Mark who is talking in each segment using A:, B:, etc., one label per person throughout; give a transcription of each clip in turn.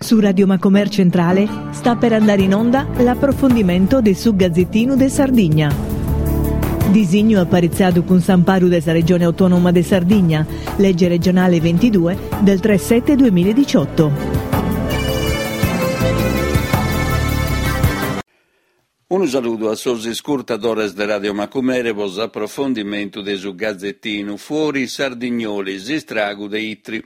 A: Su Radio Macomer Centrale sta per andare in onda l'approfondimento de su Gazzettinu de Sardigna. Disignu aparitzadu cun s'amparu de sa Regione Autonoma de Sardigna, legge regionale 22 del 3 7 2018.
B: Unu saludu a sos iscurtadores de Radio Macumere pro s'aprofondimentu de su Gazettinu Fuori Sardignoli, s'istragu de Itri.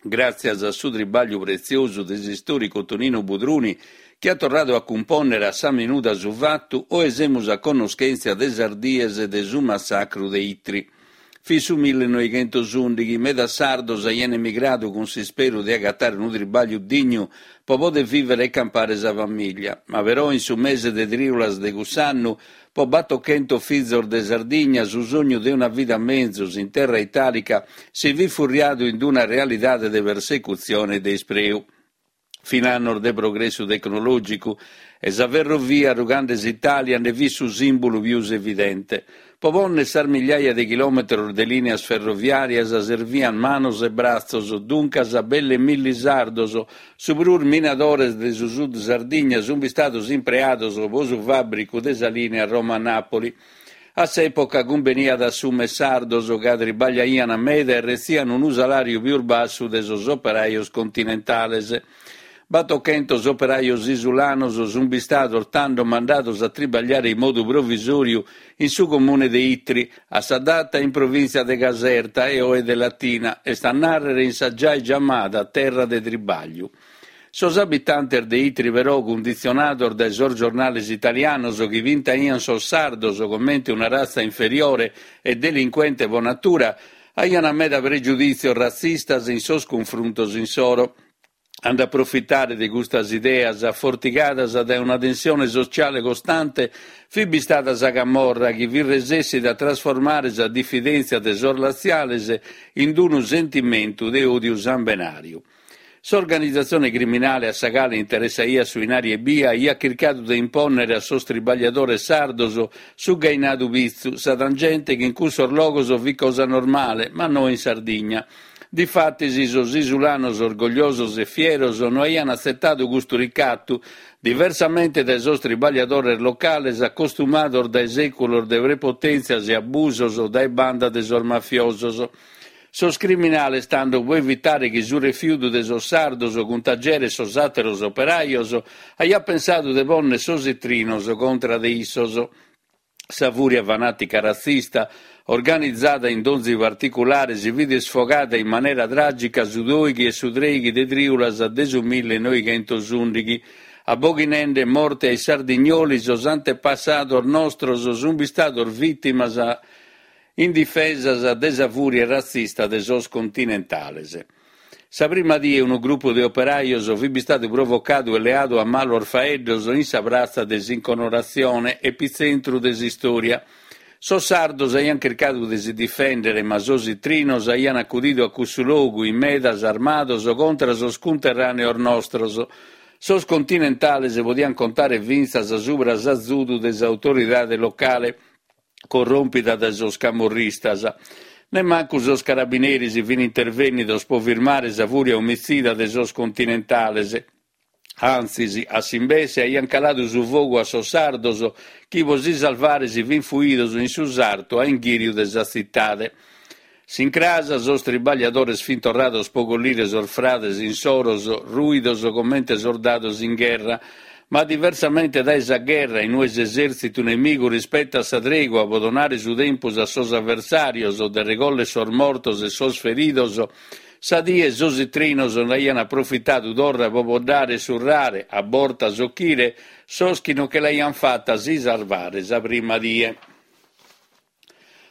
B: Gràtzias a su tribàgliu pretziosu de s'istòricu Tonino Budruni, chi at torradu a cumpònnere a sa minuda su fatu, oe semus a connoschèntzia de sas dies de su massacru de Itri. Fit su millenoighentosùndighi, medas sardos aian emigradu cun s'isperu de agatare unu tribàgliu dignu pro poder vìvere e campare sa famìllia. Ma però in su mese de trìulas de cuss'annu, pro batochentos fizos de Sardigna su sognu de una vida menzus in terra itàlica si fit furriadu in una realidade de persecutzione e de ispreu. Fin annos de progressu tecnològicu e sa ferrovia rugande s'Itàlia nde fit su sìmbulu pius evidente. Pro pònnere sas migliaia de chilòmetros de lìneas ferroviàrias servian manos e bratzos, duncas belle milli sardos, su prus minadores de su sud Sardigna, sunt bistados impreados pro su fàbricu de sa lìnea Roma-Nàpoli. A s'època cumbeniat a assùmere sardos ca tribagliaian meda e retzian unu salàriu pius bassu de sos operajos continentales. Batochentos operajos isulanos sunt bistados tando mandados a tribagliare in modu provisòriu in su comune de Itri, a sa data in provìntzia de Caserta e oe de Latina, est a nàrrere in sa giai giamada terra de tribagliu. Sos abitantes de Itri però, cunditzionados dae sos giornales italianos chi pintaian sos sardos comente una ratza inferiore e delincuente pro natura, aian meda pregiudìtzios ratzistas in sos cunfruntos insoro. A nd'aprofitare de custas ideas, afortigadas dae una tensione sotziale costante, fit bistada sa camorra chi fit resessida a trasformare sa difidèntzia de sos latziales in unu sentimentu de òdiu sambenàriu. S'organizatzione criminale a sa cale interessaiat su 'inari ebbia aiat chircadu de impònnere a sos tribagliadores sardos su ghainadu pitzu, sa tangente chi in cussos logos fit cosa normale, ma no in Sardigna. Difatis sos isulanos orgogliosos e fieros no aian atzetadu custu ricatu, diversamente dae sos tribagliadores locales acostumados dae sèculos de prepotèntzias e abusos dae banda de sos mafiosos. Sos criminales tando, pro evitare chi su refiudu de sos sardos cuntageret sos àteros operajos, aiant pensadu de pònnere sos itrinos contra de issos. Sa fùria fanàtica ratzista, organizada in donzi particulare, si fit isfogada in manera tràgica su dòighi e su trèighi de trìulas de su millenoighentosùndighi, aboghinende morte ai sardignoli sos antepassados nostros sunt bistados vìtimas indifesas de sa fùria ratzista de sos continentales. Sa prima die unu grupu de operajos fit bistadu provocadu e leadu a malos faeddos in sa pratza de s'Inconoratzione, epitzentru de s'istòria. Sos sardos aiant chircadu de si difèndere, ma sos itrinos aiant acudidu a cussu logu in medas armados contra sos cunterràneos nostros. Sos continentales podiant contare fintzas subra s'azudu de s'autoridade locale, corròmpida dae sos camorristas. Nemmancu sos carabineris fin intervènnidos pro firmare sa fùria omitzida de sos continentales. Antzis, a s'imbesse, aiant caladu su fogu a sos sardos chi pro si salvare si fin fuidos in su sartu a inghìriu de sa tzitade. S'incras sos tribagliadores fin torrados pro collire sos frades insoros rùidos comente sordados in gherra. Ma diversamente dae sa gherra, in ue s'esèrtzitu nemigu rispetat sa tregua pro donare su tempus a sos aversàrios de regòllere sos mortos e sos feridos, sa die sos itrinos nd'aiant aprofitadu torra pro boddare e surrare, a bortas ochire, sos chi non che l'aiant fata a si sarvare sa prima die.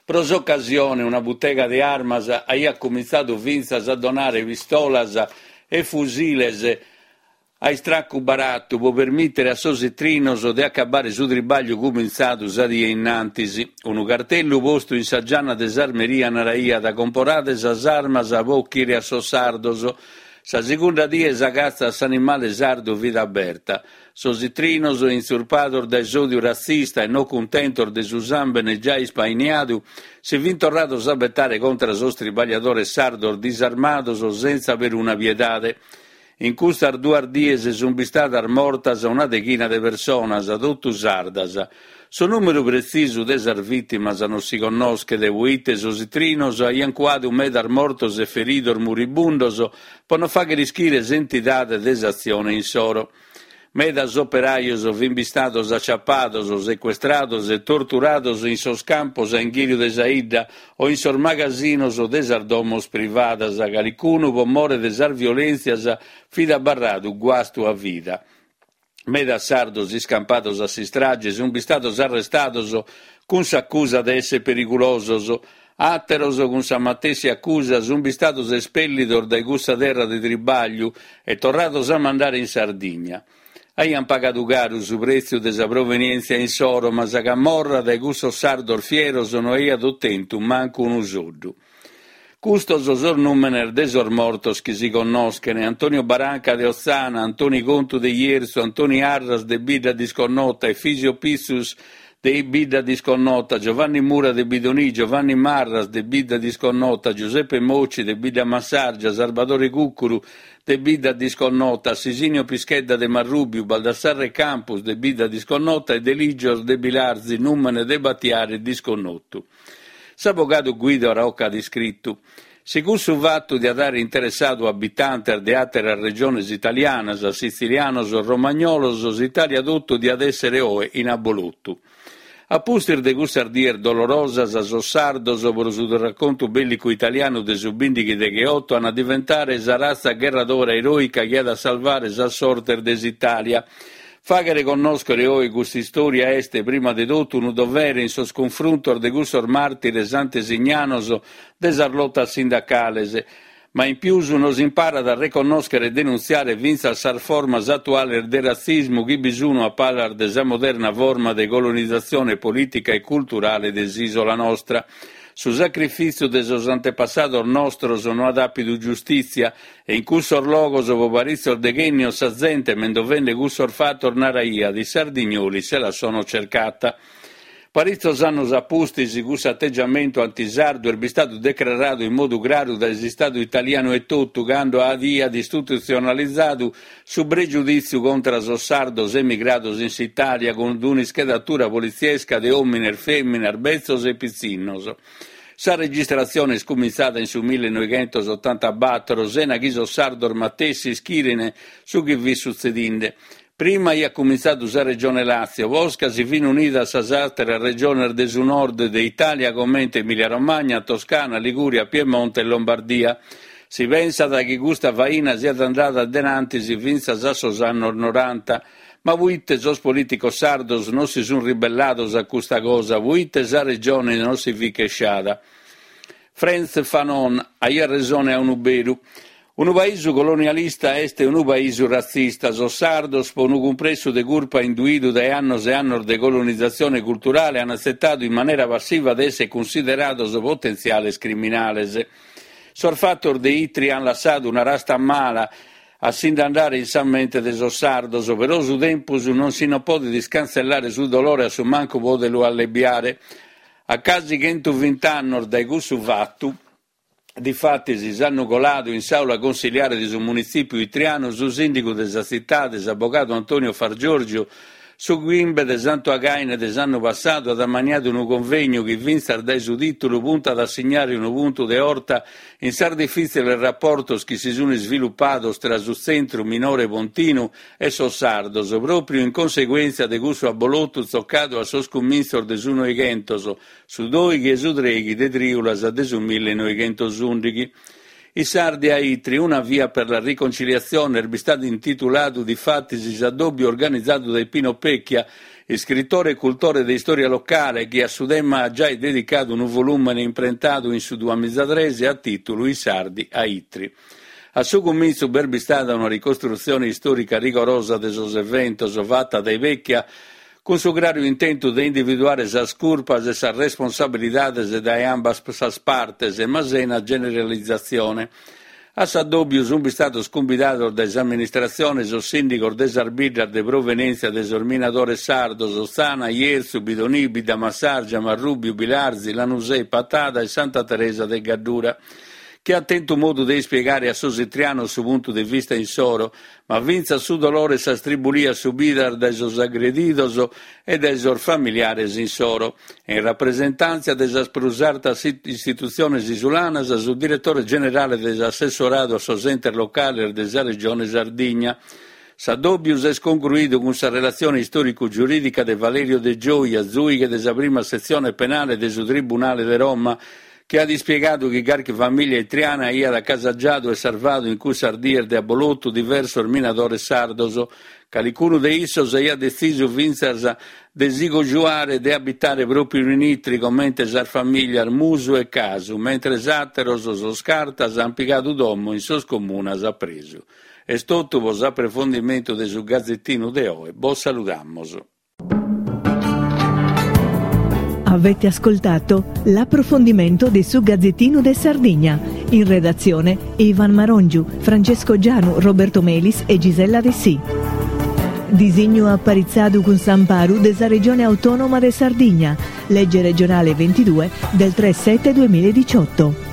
B: Pro s'ocasione una butega de armas aiat cumintzadu fintzas a donare pistolas e fusiles a istracu baratu pro permìtere a sos itrinos de acabare su tribàgliu cumintzadu sa die innantis. Unu cartellu postu in sa gianna de s'armeria naraiat Comporade sas armas pro ochire a sos sardos. Sa segunda die sa catza a s'animale sardu fit aberta. Sos itrinos, intzurpados dae s'òdiu ratzista e no cuntentos de su sàmbene giai ispainiadu, si fint torrados a betare contra sos tribagliadores sardos disarmados sentza peruna piedade. In custas duas dies sunt bistadas mortas una deghina de personas, totu sardas. Su nùmeru pretzisu de sas vìtimas non si connoschet, poite sos itrinos aiant cuadu medas mortos e feridos muribundos pro non fàghere ischire s'entidade de s'atzione insoro. Medas operajos fint bistados aciapados, secuestrados e torturados in sos campos a inghìriu de sa 'idda o in sos magasinos de sas domos privadas, calicunu pro more de sas violèntzias fit abarradu guastu a vida. Medas sardos iscampados a s'istrage sunt bistados arrestados cun s'acusa de èssere perigulosos, àteros cun sa matessi acusa sunt bistados espèllidos dae cussa terra de tribàgliu e torrados a mandare in Sardigna. Aiant pagadu caru su prètziu de sa provenièntzia insoro, ma sa camorra dae cussos sardos fieros no aiat otentu mancu unu soddu. Custos sos nùmenes de sos mortos chi si connoschen, Antonio Baranca de Otzana, Antoni Contu de Jerzu, Antoni Arras de Bidda Disconnota, Efisio Pitzus de Bidda Disconnota, Giovanni Mura de Bidonì, Giovanni Marras de Bidda Disconnota, Giuseppe Mocci de Bidda Massàrgia, Sarbadore Cuccuru de Bidda Disconnota, Sisinio Pischedda de Marrùbiu, Baldassarre Campus de Bidda Disconnota e Deligios de Bilarzi, nùmene de batiare disconnotu. S'abogadu Guido Rocca at iscritu, Si cussu fatu diat àere interessadu abitantes de àteras regiones italianas, sitzilianos o romagnolos, s'Itàlia totu diat èssere oe in abolotu. A pustis de cussas dies dolorosas, sos sardos, pro su raccontu bèllicu italianu de su bìndighi degheoto, an a diventare sa ratza gherradora eròica chi at a salvare sas sortes de s'Itàlia. Fàghere connòschere oe custa istòria est, prima de totu, unu dovere in sos cunfruntos de cussos màrtires antesignanos de sas lotas sindacales, ma in pius nos imparat a reconnòschere e denuntziare fintzas sas formas atuales de ratzismu chi bi sunu a palas de sa moderna forma de colonizatzione polìtica e culturale de s'ìsola nostra. Su sacrifìtziu de sos antepassados nostros no at àpidu giustìtzia E in cussos logos po paritzos deghènnios sa zente mendovende cussos fatos naraiat i sardignoli se la sono cercata. Paritzos annos a pustis cussu ategiamentu antisardu est bistadu decraradu in modu craru dae s'Istadu italianu etotu cando aiat istitutzionalizadu su pregiudìtziu contra sos sardos emigrados in s'Itàlia cun un'ischedatura politziesca de òmines, fèminas, betzos e pitzinnos. Sa registratzione est cumintzada in su millenoighentosotantabatoro sena chi sos sardos matessi ischiren su chi fit sutzedinde. Prima aiat cumintzadu sa Regione Làtzio, posca si fin unidas sas àteras regiones de su nord de Itàlia comente Emilia-Romagna, Toscana, Ligùria, Piemonte e Lombardia. Si pensat chi custa faina siat andada denantis fintzas a sos annos noranta. Ma puite sos polìticos sardos non si sunt ribellados a custa cosa? Puite sa Regione non si fit chesciada? Frantz Fanon aiat resone a unu beru. Unu paisu colonialista est unu paisu ratzista. Sos sardos, pro unu cumpressu de curpa induidu dae annos e annos de colonizatzione culturale, an atzetadu in manera passiva de èssere cunsiderados potentziales criminales. Sos fatos de Itri an lassadu una rasta mala A si nd'andare in sa mente de sos sardos, però su tempus non si non podet iscantzellare su dolore a su mancu podet lu allebiare. A casi chentuvint'annos dae cussu fatu, difatis, s'annu coladu in s'àula consiliare de su munitzìpiu itrianu su sìndigu de sa tzitade, s'abogadu Antonio Fargiorgio, Su chimbe de Santu Againe de s'annu passadu at ammaniadu unu convegnu chi fintzas dae su tìtulu puntat a signare unu puntu de 'orta in sas difìtziles raportos chi si sun isvilupados tra su tzentru minore pontinu e sos sardos, pròpriu in conseguèntzia de cussu abolotu tzocadu a sos cumintzos de su Noighentos, su dòighi e su trèighi de trìulas de su millenoighentosùndighi. I Sardi a Itri, una via per la riconciliazione est bistadu intituladu difatis s'addòbiu organizadu dae Pino Pecchia, iscritore e cultore de istòria locale chi a su tema at giai dedicadu unu volùmene imprentadu in su duamizatres a tìtulu I Sardi a Itri. A su cumintzu b'est bistada una ricostrutzione istòrica rigorosa de sos eventos fata dae Pecchia cun su craru intentu de individuare sas curpas e sas responsabilidades dae ambas sas partes, ma sena generalizatzione. A s'addòbiu sunt bistados cumbidados dae s'amministratzione sos sìndigos de sas biddas de provenèntzia de sos minadores sardos, Otzana, Jerzu, Bidonì, Biddamassàrgia, Marrùbiu, Bilarzi, Lanusè, Patada e Santa Teresa de Gaddura. chi at tentu modu de ispiegare a sos itrianos su puntu de vista insoro, ma fintzas su dolore e sas tribulias subidas dae sos agredidos e dae sos familiares insoro. E in rapresentàntzia de sas prus artas istitutziones isulanas, su diretore generale de s'assessoradu a sos entes locales de sa Regione Sardigna. S'addòbiu s'est concruidu cun sa relatzione istòricu-giurìdica de Valerio De Gioia, zùighe de sa prima setzione penale de su Tribunale de Roma, chi at ispiegadu chi carchi famìlia itriana aiat acasagiadu e sarvadu in cussas dies de abbolotu diversos minadores sardos. Calicunu de issos aiat detzisu fintzas de si cojuare e de abitare pròpiu in Itri comente sas famìlias Musu e Casu, mentres àteros, sos Cartas, ant pigadu domo in sos comunas a presu. Est totu pro s'aprefondimentu de su Gazetinu de oe, bos saludamos.
A: Avete ascoltato l'approfondimento de su Gazzettino de Sardigna. In redazione Ivan Marongiu, Francesco Gianu, Roberto Melis e Gisella Dessì. Disignu aparitzadu cun s'amparu de sa Regione Autonoma de Sardigna, legge regionale 22 del 3 7 2018.